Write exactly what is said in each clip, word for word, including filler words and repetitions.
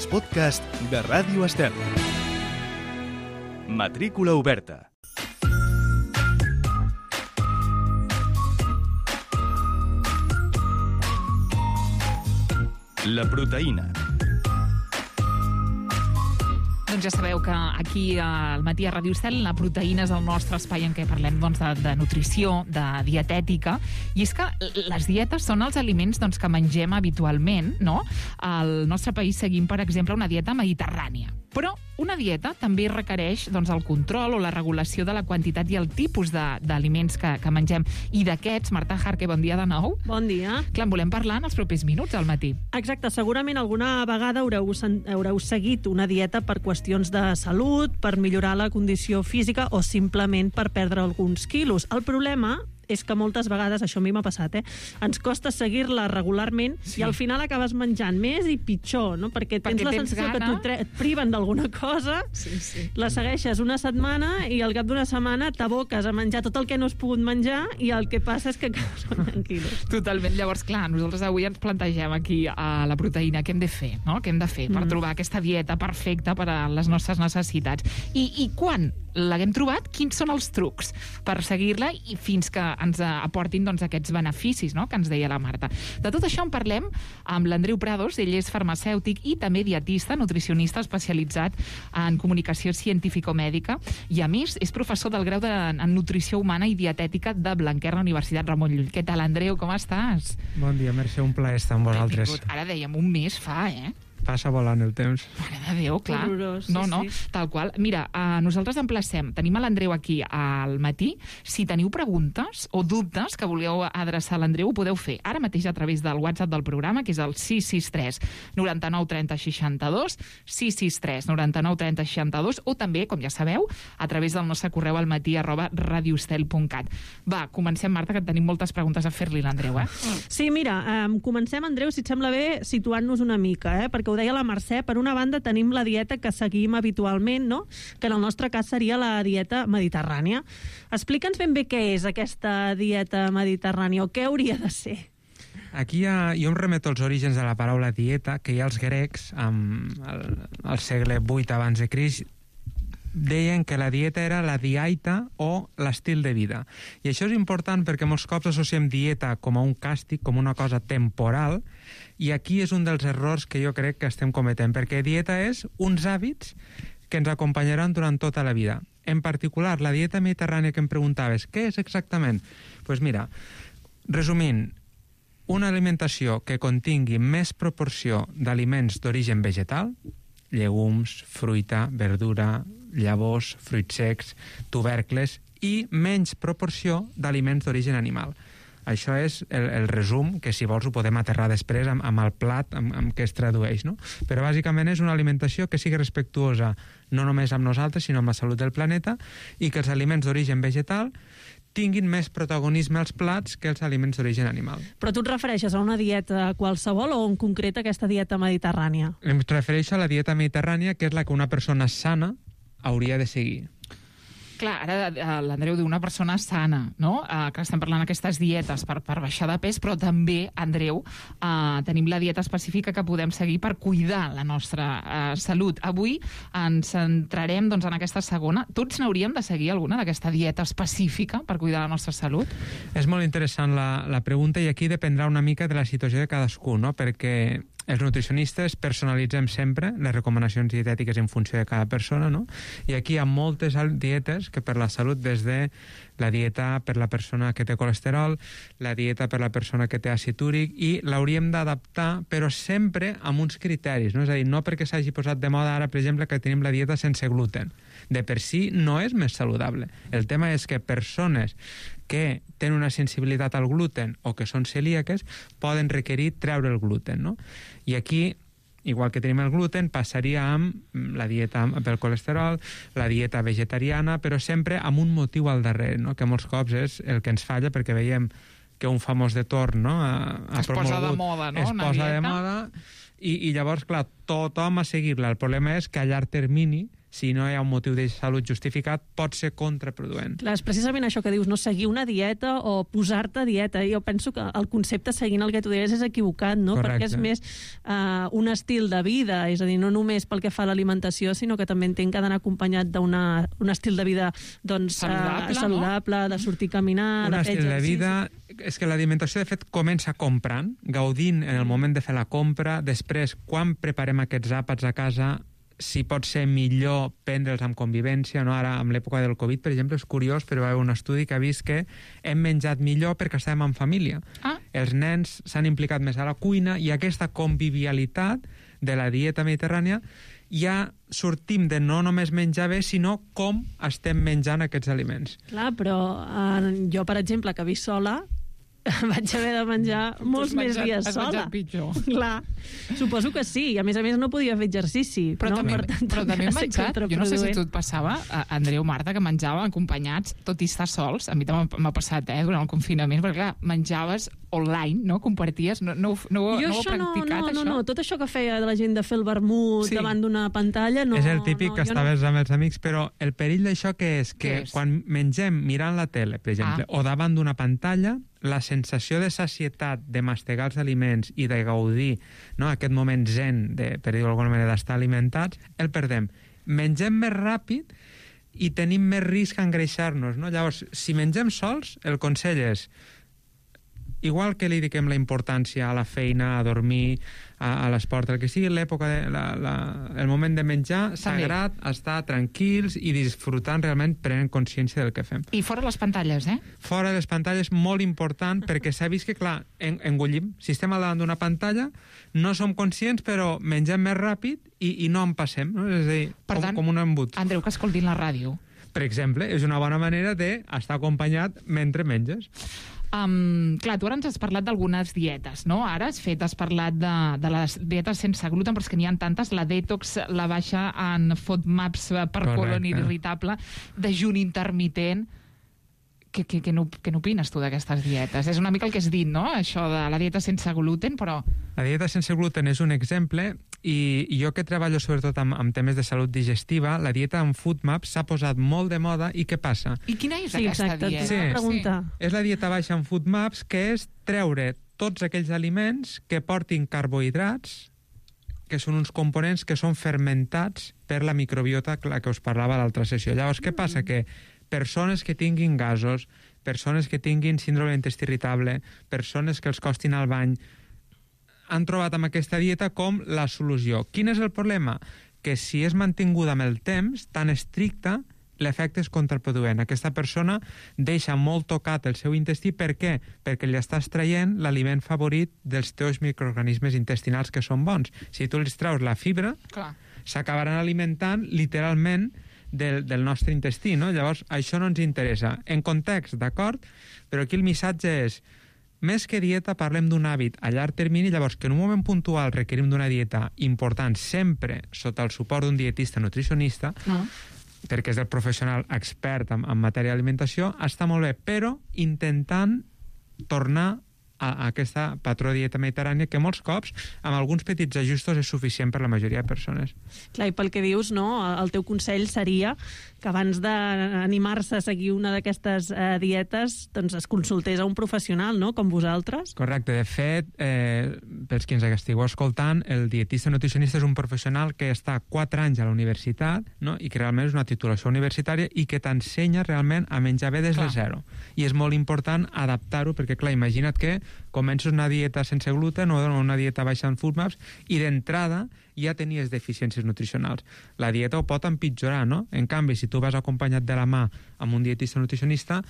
els podcasts de Ràdio Estel. Matrícula oberta. La proteïna. Doncs ja sabeu que aquí al Matí a Ràdio Estel la proteïna és el nostre espai en què parlem doncs, de, de nutrició, de dietètica, i és que les dietes són els aliments doncs, que mengem habitualment, no? Al nostre país seguim, per exemple, una dieta mediterrània. Però una dieta també requereix doncs, el control o la regulació de la quantitat i el tipus d'aliments que, que mengem. I d'aquests, Marta Jarque, bon dia de nou. Bon dia. Clar, en volem parlar en els propers minuts al matí. Exacte, segurament alguna vegada haureu, haureu seguit una dieta per qüestions de salut, per millorar la condició física o simplement per perdre alguns quilos. El problema és que moltes vegades, això a mi m'ha passat, eh? ens costa seguir-la regularment, sí. I al final acabes menjant més i pitjor, no? Perquè tens Perquè la sensació gana. que et priven d'alguna cosa, sí, sí. la segueixes una setmana i al cap d'una setmana t'aboques a menjar tot el que no has pogut menjar i el que passa és que acabes guanyant quilos. Totalment. Llavors, clar, nosaltres avui ens plantegem aquí a la proteïna què hem de fer, no? Què hem de fer per mm. trobar aquesta dieta perfecta per a les nostres necessitats. I, i quan l'haguem trobat, quins són els trucs per seguir-la i fins que ens aportin doncs, aquests beneficis, no?, que ens deia la Marta. De tot això en parlem amb l'Andreu Prados. Ell és farmacèutic i també dietista, nutricionista especialitzat en comunicació científico-mèdica i, a més, és professor del grau de, en nutrició humana i dietètica de Blanquer, la Universitat Ramon Llull. Què tal, Andreu? Com estàs? Bon dia, Mercè, un plaer estar amb vosaltres. Ara dèiem un mes fa, eh? Passa volant el temps. Mare de Déu, clar. Horrorós, no, sí, no, sí. tal qual. Mira, eh, nosaltres emplacem, tenim a l'Andreu aquí al matí. Si teniu preguntes o dubtes que voleu adreçar a l'Andreu, ho podeu fer ara mateix a través del WhatsApp del programa, que és el sis sis tres, noranta-nou, trenta, seixanta-dos, sis sis tres, noranta-nou, trenta, seixanta-dos, o també, com ja sabeu, a través del nostre correu al matí arroba radiostel punt cat. Va, comencem, Marta, que tenim moltes preguntes a fer-li l'Andreu, eh? Sí, mira, um, comencem, Andreu, si et sembla bé, situant-nos una mica, eh? Perquè ho deia la Mercè, per una banda tenim la dieta que seguim habitualment, no?, que en el nostre cas seria la dieta mediterrània. Explica'ns ben bé què és aquesta dieta mediterrània o què hauria de ser. Aquí ha, jo em remeto als orígens de la paraula dieta, que ja els grecs, amb el, el segle vuit abans de Crist, deien que la dieta era la diaita o l'estil de vida. I això és important perquè molts cops associem dieta com a un càstig, com una cosa temporal, i aquí és un dels errors que jo crec que estem cometent, perquè dieta és uns hàbits que ens acompanyaran durant tota la vida. En particular, la dieta mediterrània que em preguntaves, què és exactament? Doncs pues mira, resumint, una alimentació que contingui més proporció d'aliments d'origen vegetal, llegums, fruita, verdura, llavors, fruits secs, tubercles, i menys proporció d'aliments d'origen animal. Això és el, el resum, que si vols ho podem aterrar després amb, amb el plat amb, amb què es tradueix, no? Però bàsicament és una alimentació que sigui respectuosa no només amb nosaltres, sinó amb la salut del planeta, i que els aliments d'origen vegetal tinguin més protagonisme als plats que els aliments d'origen animal. Però tu et refereixes a una dieta qualsevol o en concret a aquesta dieta mediterrània? Em refereixo a la dieta mediterrània, que és la que una persona sana hauria de seguir. Clar, ara l'Andreu diu una persona sana, no? Uh, que estem parlant d'aquestes dietes per, per baixar de pes, però també, Andreu, uh, tenim la dieta específica que podem seguir per cuidar la nostra uh, salut. Avui ens centrarem doncs, en aquesta segona. Tots n'hauríem de seguir alguna d'aquesta dieta específica per cuidar la nostra salut? És molt interessant la, la pregunta, i aquí dependrà una mica de la situació de cadascú, no? Perquè els nutricionistes personalitzem sempre les recomanacions dietètiques en funció de cada persona, no? I aquí hi ha moltes dietes que per la salut, des de la dieta per la persona que té colesterol, la dieta per la persona que té àcid úric, i l'hauríem d'adaptar, però sempre amb uns criteris, no? És a dir, no perquè s'hagi posat de moda ara, per exemple, que tenim la dieta sense gluten. De per si no és més saludable. El tema és que persones que tenen una sensibilitat al gluten o que són celíaques poden requerir treure el gluten, no? I aquí, igual que tenim el gluten, passaria amb la dieta pel colesterol, la dieta vegetariana, però sempre amb un motiu al darrere, no? Que molts cops és el que ens falla, perquè veiem que un famós de torn, no? Ha, ha es posa de moda, no? Es posa de moda, i, i llavors, clar, tothom a seguir-la. El problema és que a llarg termini si no hi ha un motiu de salut justificat, pot ser contraproduent. Clar, és precisament això que dius, no seguir una dieta o posar-te a dieta. Jo penso que el concepte seguint el que tu deies és equivocat, no? Correcte. Perquè és més uh, un estil de vida, és a dir, no només pel que fa a l'alimentació, sinó que també entenc que ha d'anar acompanyat d'un estil de vida doncs, saludable, uh, saludable no? de sortir a caminar, un de fer estil de exercici. vida... És que l'alimentació, de fet, comença comprant, gaudint en el moment de fer la compra, després, quan preparem aquests àpats a casa, si pot ser millor prendre'ls amb convivència, no? Ara, amb l'època del Covid, per exemple, és curiós, però hi va haver un estudi que ha vist que hem menjat millor perquè estàvem en família. Ah. Els nens s'han implicat més a la cuina i aquesta convivialitat de la dieta mediterrània ja sortim de no només menjar bé, sinó com estem menjant aquests aliments. Clar, però uh, jo, per exemple, que visc sola, vaig haver de menjar molts més menjat, dies has sola. menjat pitjor. Clar, suposo que sí. I a més a més no podia fer exercici. Però, no? també, Per tant, però també hem va ser menjat, jo no sé si contraproduent. tu et passava, a Andreu, Marta, que menjava acompanyats, tot i estar sols, a mi també m'ha passat, eh, durant el confinament, perquè clar, menjaves online, no? Comparties, no, no, no, Jo no ho heu això no, practicat, no, no, això? no, tot això que feia de la gent de fer el vermut Sí. davant d'una pantalla, no... és el típic no, que jo estaves amb els amics, però el perill d'això que és? Que Què és? quan mengem mirant la tele, per exemple, Ah. o davant d'una pantalla, la sensació de sacietat, de mastegar els aliments i de gaudir, no, aquest moment zen, de, per dir-ho d'alguna manera, d'estar alimentats, el perdem. Mengem més ràpid i tenim més risc a engreixar-nos, no? Llavors, si mengem sols, el consell és, igual que li dediquem la importància a la feina, a dormir, a, a l'esport, el que sigui, l'època, de, la, la, el moment de menjar, sagrat, estar tranquils i disfrutant realment, prenent consciència del que fem. I fora les pantalles, eh? Fora de les pantalles, molt important, perquè s'ha vist que, clar, en, engollim. Si estem al davant d'una pantalla, no som conscients, però mengem més ràpid i, i no en passem, no? És a dir, Per com, tant, com un embut. Andreu, que escoltin la ràdio. Per exemple, és una bona manera d'estar acompanyat mentre menges. Um, clar, tu ara ens has parlat d'algunes dietes, no? Ara has fet, has parlat de, de les dietes sense gluten, però és que n'hi ha tantes, la detox, la baixa en FODMAPs per Correcte. colon irritable, dejuni intermitent. Què, què, què, què n'opines tu d'aquestes dietes? És una mica el que has dit, no? Això de la dieta sense gluten, però... La dieta sense gluten és un exemple i, i jo que treballo sobretot amb, amb temes de salut digestiva, la dieta amb FODMAPs s'ha posat molt de moda i què passa? I quina és Sí, aquesta exacte, dieta? t'ho Sí. anava a preguntar. És la dieta baixa en FODMAPs, que és treure tots aquells aliments que portin carbohidrats, que són uns components que són fermentats per la microbiota, la que us parlava a l'altra sessió. Llavors, què passa? Que persones que tinguin gasos, persones que tinguin síndrome d'intestí irritable, persones que els costin al bany, han trobat amb aquesta dieta com la solució. Quin és el problema? Que si és mantinguda amb el temps, tan estricta, l'efecte és contraproduent. Aquesta persona deixa molt tocat el seu intestí. Per què? Perquè li estàs traient l'aliment favorit dels teus microorganismes intestinals que són bons. Si tu els treus la fibra, Clar. s'acabaran alimentant literalment del, del nostre intestí, no? Llavors, això no ens interessa. En context, d'acord, però aquí el missatge és, més que dieta, parlem d'un hàbit a llarg termini, llavors que en un moment puntual requerim d'una dieta important, sempre sota el suport d'un dietista nutricionista, No? perquè és el professional expert en, en matèria d'alimentació, està molt bé, però intentant tornar a, a aquesta patró de dieta mediterrània que molts cops, amb alguns petits ajustos, és suficient per la majoria de persones. Clar, i pel que dius, no, el teu consell seria que abans d'animar-se a seguir una d'aquestes eh, dietes, doncs es consultés a un professional, no?, com vosaltres. Correcte. De fet, eh, pels que ens estigueu escoltant, el dietista nutricionista és un professional que està quatre anys a la universitat, no?, i que realment és una titulació universitària i que t'ensenya realment a menjar bé des de Clar. zero. I és molt important adaptar-ho, perquè, clar, imagina't que comences una dieta sense gluten o una dieta baixa en FODMAPs i d'entrada ja tenies deficiències nutricionals. La dieta ho pot empitjorar, no? En canvi, si tu vas acompanyat de la mà amb un dietista nutricionista,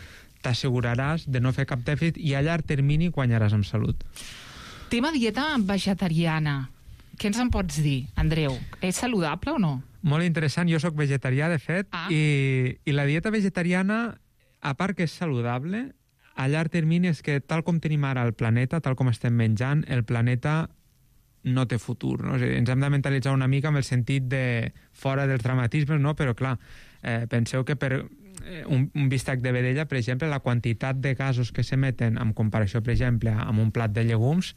t'asseguraràs de no fer cap dèficit i a llarg termini guanyaràs amb salut. Tema dieta vegetariana. Què ens en pots dir, Andreu? És saludable o no? Molt interessant. Jo sóc vegetarià, de fet, Ah. i, i la dieta vegetariana, a part que és saludable, a llarg termini és que tal com tenim ara el planeta, tal com estem menjant, el planeta no té futur, no? És a dir, ens hem de mentalitzar una mica amb el sentit de fora dels dramatismes, no? Però clar, eh, penseu que per eh, un, un bistec de vedella, per exemple, la quantitat de gasos que s'emeten en comparació, per exemple, amb un plat de llegums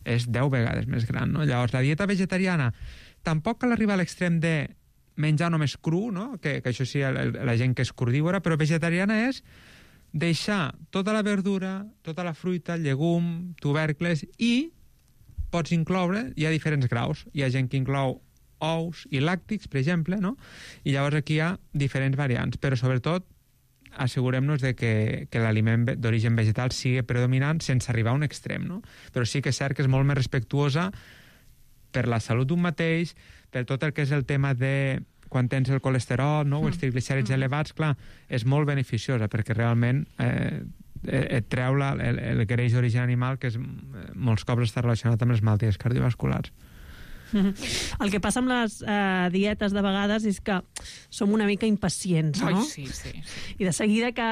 és deu vegades més gran, no? Llavors, la dieta vegetariana tampoc cal arribar a l'extrem de menjar només cru, no? que, que això sí, el, la gent que és crudívora, però vegetariana és deixar tota la verdura, tota la fruita, llegum, tubercles, i pots incloure, hi ha diferents graus. Hi ha gent que inclou ous i làctics, per exemple, no? I llavors aquí hi ha diferents variants, però sobretot assegurem-nos de que, que l'aliment d'origen vegetal sigui predominant sense arribar a un extrem, no? Però sí que és cert que és molt més respectuosa per la salut d'un mateix, per tot el que és el tema de quan tens el colesterol, no? o els triglicèrids mm. elevats, clar, és molt beneficiosa perquè realment eh, et treu la, el, el greix d'origen animal, que és, molts cops està relacionat amb les malalties cardiovasculars. El que passa amb les eh, dietes de vegades és que som una mica impacients, no? Ai, sí, sí, sí. I de seguida que,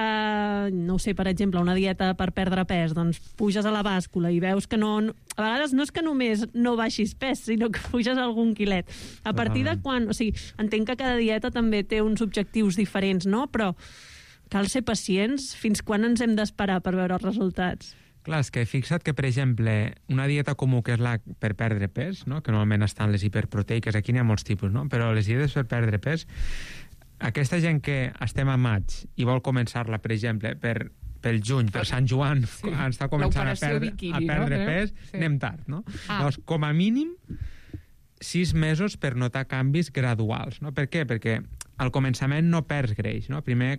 no ho sé, per exemple, una dieta per perdre pes, doncs puges a la bàscula i veus que no... A vegades no és que només no baixis pes, sinó que puges algun quilet. A partir de quan... O sigui, entenc que cada dieta també té uns objectius diferents, no? Però cal ser pacients. Fins quan ens hem d'esperar per veure els resultats? Clar, és que fixa't que, per exemple, una dieta comú que és la per perdre pes, no? que normalment estan les hiperproteiques, aquí n'hi ha molts tipus, no? però les dietes per perdre pes, aquesta gent que estem a maig i vol començar-la, per exemple, per, pel juny, per Sant Joan, sí. està començant a perdre, bikini, a perdre no? pes, sí. anem tard, no? Ah. Llavors, com a mínim, sis mesos per notar canvis graduals, no? Per què? Perquè al començament no perds greix, no? Primer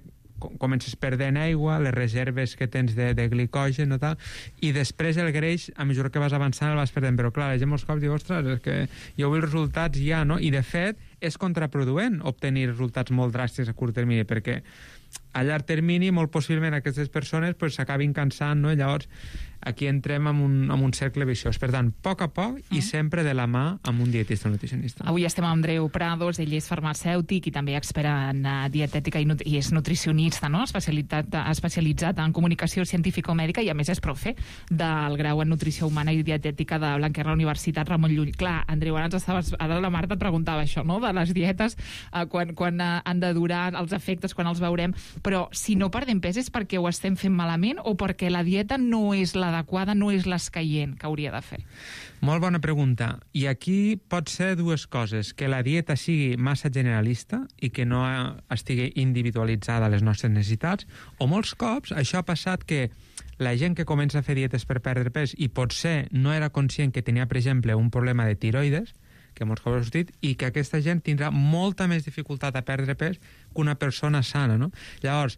comences perdent aigua, les reserves que tens de, de glicogen o tal, i després el greix, a mesura que vas avançant, el vas perdent. Però clar, la gent molts cops diu, ostres, és que jo vull resultats ja, no? I de fet, és contraproduent obtenir resultats molt dràstics a curt termini, perquè a llarg termini, molt possiblement, aquestes persones pues, s'acabin cansant, no? I llavors aquí entrem en un, en un cercle viciós. Per tant, a poc a poc i sempre de la mà amb un dietista o nutricionista. Avui estem amb Andreu Prados, ell és farmacèutic i també expert en dietètica i, i és nutricionista, no? especialitzat, especialitzat en comunicació científico-mèdica i a més és profe del grau en nutrició humana i dietètica de Blanquer, la Universitat Ramon Llull. Clar, Andreu, ara, ens estaves, ara la Marta et preguntava això, no? De les dietes, eh, quan, quan eh, han de durar, els efectes, quan els veurem, però si no perdem pes és perquè ho estem fent malament o perquè la dieta no és l'adequada, no és l'escaient que hauria de fer? Molt bona pregunta. I aquí pot ser dues coses. Que la dieta sigui massa generalista i que no estigui individualitzada a les nostres necessitats, o molts cops això ha passat que la gent que comença a fer dietes per perdre pes i potser no era conscient que tenia, per exemple, un problema de tiroides, que molts cops ha sortit, i que aquesta gent tindrà molta més dificultat a perdre pes que una persona sana, no? Llavors,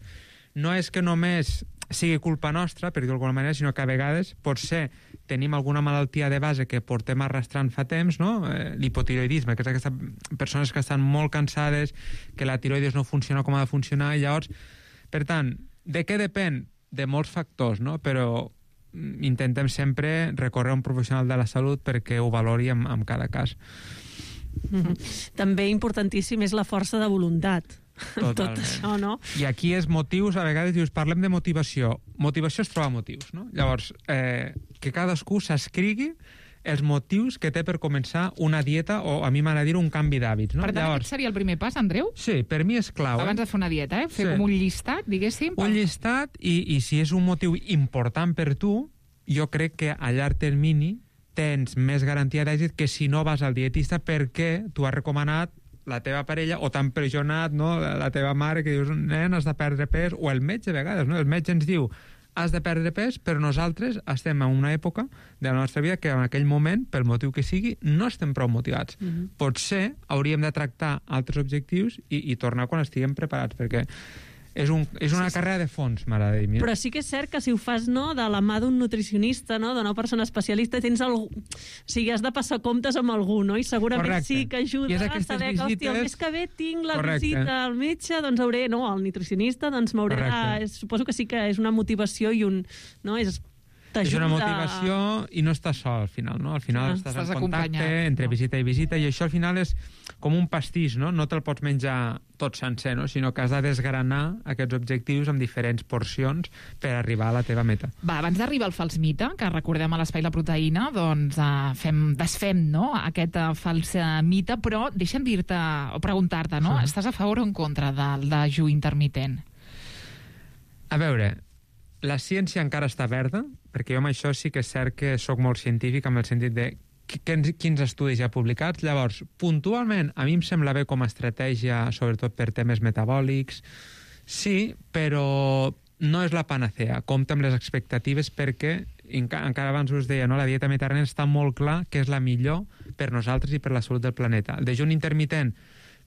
no és que només sigui culpa nostra, per dir-ho d'alguna manera, sinó que a vegades potser tenim alguna malaltia de base que portem arrastrant fa temps, no? Eh, l'hipotiroidisme, que és aquestes persones que estan molt cansades, que la tiroides no funciona com ha de funcionar, i llavors, per tant, de què depèn? De molts factors, no? Però intentem sempre recórrer a un professional de la salut perquè ho valori en, en cada cas. Mm-hmm. També importantíssim és la força de voluntat. Totalment. Tot això, no? I aquí és motius, a vegades dius, parlem de motivació. Motivació és trobar motius, no? Llavors, eh, que cadascú s'escrigui els motius que té per començar una dieta o, a mi m'agrada dir, un canvi d'hàbits, no? Per tant, Llavors, aquest seria el primer pas, Andreu? Sí, per mi és clau. Abans eh? de fer una dieta, eh? Fer Sí. com un llistat, diguéssim. Un llistat, i, i si és un motiu important per tu, jo crec que a llarg termini tens més garantia d'èxit que si no vas al dietista perquè tu has recomanat la teva parella o t'ha empresonat, no? la teva mare, que dius, nen, has de perdre pes, o el metge a vegades, no? El metge ens diu has de perdre pes, però nosaltres estem en una època de la nostra vida que en aquell moment, pel motiu que sigui, no estem prou motivats. Mm-hmm. Potser hauríem de tractar altres objectius i, i tornar quan estiguem preparats, perquè és, un, és una sí, carrera de fons, m'agrada dir. Mira. Però sí que és cert que si ho fas, no, de la mà d'un nutricionista, no, d'una persona especialista, tens algú... O sigui, has de passar comptes amb algú, no? I segurament Correcte. Sí que ajuda a saber que, hòstia, el mes que ve tinc la Correcte. visita al metge, doncs hauré... No, al nutricionista, doncs m'hauré de... Suposo que sí que és una motivació i un... No, és... És una motivació i no estàs sol, al final, no? Al final ah, estàs, estàs en contacte entre no? visita i visita, i això al final és com un pastís, no? No te'l pots menjar tot sencer, no? Sinó que has de desgranar aquests objectius amb diferents porcions per arribar a la teva meta. Va, abans d'arribar al fals mite, que recordem a l'Espai La Proteïna, doncs uh, fem, desfem, no?, aquest uh, fals uh, mite, però deixa'm dir-te o preguntar-te, no? Sí. Estàs a favor o en contra del dejú intermitent? A veure, la ciència encara està verda, perquè jo amb això sí que és cert que sóc molt científic, amb el sentit de quins, quins estudis hi ha publicats. Llavors, puntualment, a mi em sembla bé com a estratègia, sobretot per temes metabòlics, sí, però no és la panacea. Compta amb les expectatives perquè, encara abans us deia, no? La dieta mediterrània està molt clar que és la millor per nosaltres i per la salut del planeta. El dejuni intermitent,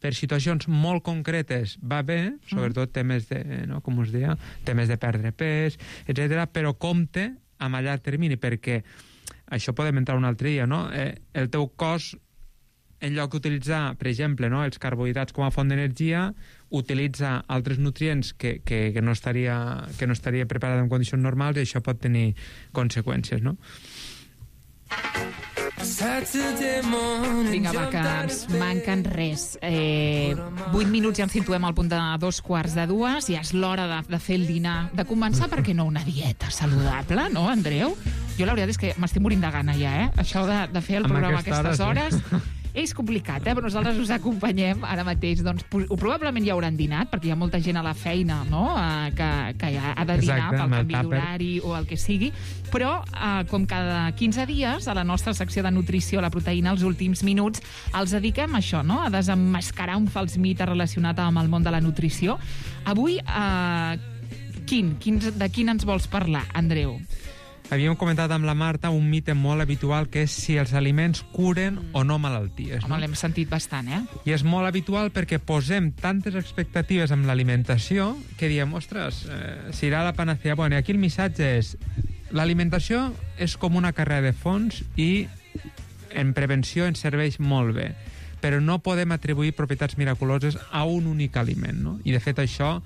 per situacions molt concretes, va bé, sobretot temes de, no, com us deia, temes de perdre pes, etcètera, però compte amb a llarg termini, perquè això podem entrar un altre dia, no? Eh, el teu cos, en lloc d'utilitzar, per exemple, no, els carbohidrats com a font d'energia, utilitza altres nutrients que, que, que, no estaria, que no estaria preparat en condicions normals i això pot tenir conseqüències, no? Vinga, va, que ens manquen res. Eh, vuit minuts ja ens situem al punt de dos quarts de dues, ja és l'hora de, de fer el dinar, de començar, perquè no, una dieta saludable, no, Andreu? Jo la veritat és que m'estic morint de gana ja, eh? Això de, de fer el Amb programa a aquestes hora, hores... Sí. És complicat, eh? Però nosaltres us acompanyem ara mateix. Doncs probablement ja hauran dinat, perquè hi ha molta gent a la feina, no?, eh, que, que ja ha de dinar Exacte, pel amb el canvi tàper. d'horari o el que sigui. Però, eh, com cada quinze dies, a la nostra secció de nutrició, la proteïna, els últims minuts, els dediquem a això, no?, a desemmascarar un fals mite relacionat amb el món de la nutrició. Avui, eh, quin? Quins, de quin ens vols parlar, Andreu? Havíem comentat amb la Marta un mite molt habitual, que és si els aliments curen o no malalties. Home, No? l'hem sentit bastant, eh? I és molt habitual perquè posem tantes expectatives amb l'alimentació que diem, ostres, eh, serà la panacea. Bueno, i aquí el missatge és, l'alimentació és com una carrera de fons i en prevenció ens serveix molt bé, però no podem atribuir propietats miraculoses a un únic aliment, no? I de fet això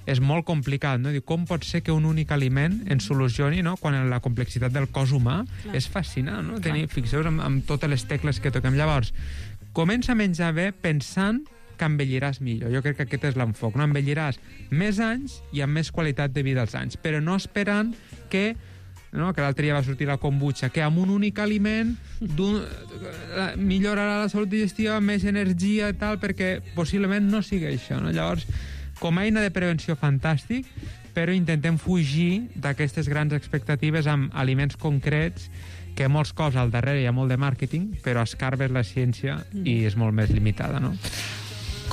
és molt complicat, no? Diu, com pot ser que un únic aliment ens solucioni, no?, quan la complexitat del cos humà Clar. és fascinant, no? Tenir, fixeu-vos amb, amb totes les tecles que toquem. Llavors, comença a menjar bé pensant que envelliràs millor. Jo crec que aquest és l'enfoc, no? Envelliràs més anys i amb més qualitat de vida als anys, però no esperant que, no?, que l'altre dia va sortir la kombucha, que amb un únic aliment millorarà la salut digestiva, més energia i tal, perquè possiblement no sigui això, no? Llavors, com a eina de prevenció, fantàstic, però intentem fugir d'aquestes grans expectatives amb aliments concrets que molts cops al darrere hi ha molt de màrqueting, però escarbes la ciència i és molt més limitada, no?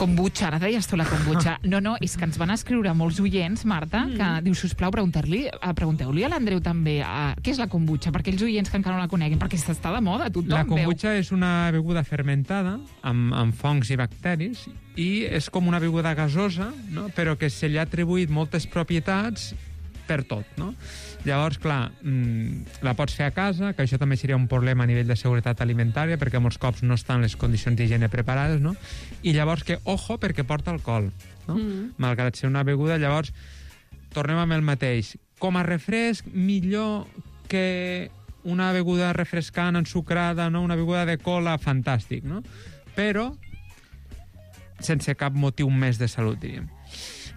Kombucha, ara deies tu la kombucha. No, no, és que ens van escriure molts oients, Marta, que diu, sisplau, preguntar-li, eh, pregunteu-li a l'Andreu també eh, què és la kombucha, perquè els oients que encara no la coneguin, perquè està de moda, tothom La veu. kombucha és una beguda fermentada amb, amb fongs i bacteris i és com una beguda gasosa, no?, però que se li ha atribuït moltes propietats per tot, no? Llavors, clar, mmm, la pots fer a casa, que això també seria un problema a nivell de seguretat alimentària, perquè molts cops no estan les condicions d'higiene preparades, no? I llavors que, ojo, perquè porta alcohol, no? Mm. Malgrat ser una beguda, llavors, tornem amb el mateix. Com a refresc, millor que una beguda refrescant, ensucrada, no? Una beguda de cola, fantàstic, no? Però sense cap motiu més de salut, diríem.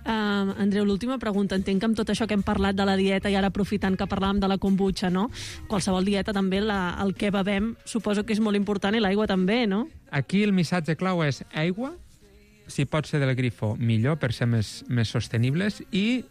Uh, Andreu, l'última pregunta. Entenc que amb tot això que hem parlat de la dieta i ara aprofitant que parlàvem de la kombucha, no? Qualsevol dieta també, la, el que bevem suposo que és molt important i l'aigua també, no? Aquí el missatge clau és aigua, si pot ser del grifo, millor, per ser més, més sostenibles, i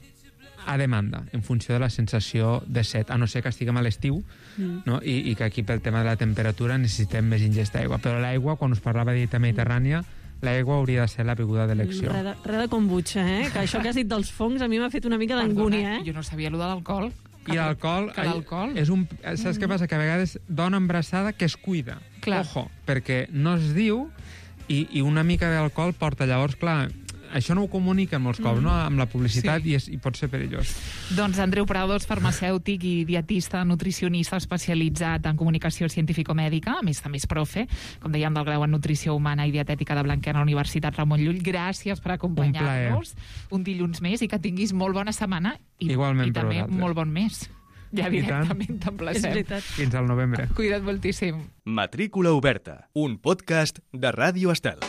a demanda, en funció de la sensació de set, a no ser que estiguem a l'estiu, mm. no? I, i que aquí pel tema de la temperatura necessitem més ingesta d'aigua. Però l'aigua, quan us parlava de dieta mediterrània, l'aigua hauria de ser la beguda d'elecció. Re de, re de kombucha, eh? Que això que has dit dels fongs a mi m'ha fet una mica d'angúnia, eh? Jo no sabia allò de l'alcohol. I l'alcohol... Que l'alcohol... És un, saps què passa? Que a vegades dona embarassada que es cuida. Clar. Ojo, perquè no es diu i, i una mica d'alcohol porta. Llavors, clar, això no ho comuniquen molts cops, mm. no?, amb la publicitat, sí. i, és, i pot ser perillós. Doncs Andreu Prados, farmacèutic i dietista, nutricionista especialitzat en comunicació científico-mèdica, a més també és profe, com dèiem, del grau en nutrició humana i dietètica de Blanquer a la Universitat Ramon Llull. Gràcies per acompanyar-nos un, un dilluns més i que tinguis molt bona setmana i, Igualment i també molt bon mes. Ja directament t'emplacem. Fins al novembre. Cuida't moltíssim. Matrícula oberta, un podcast de Ràdio Estel.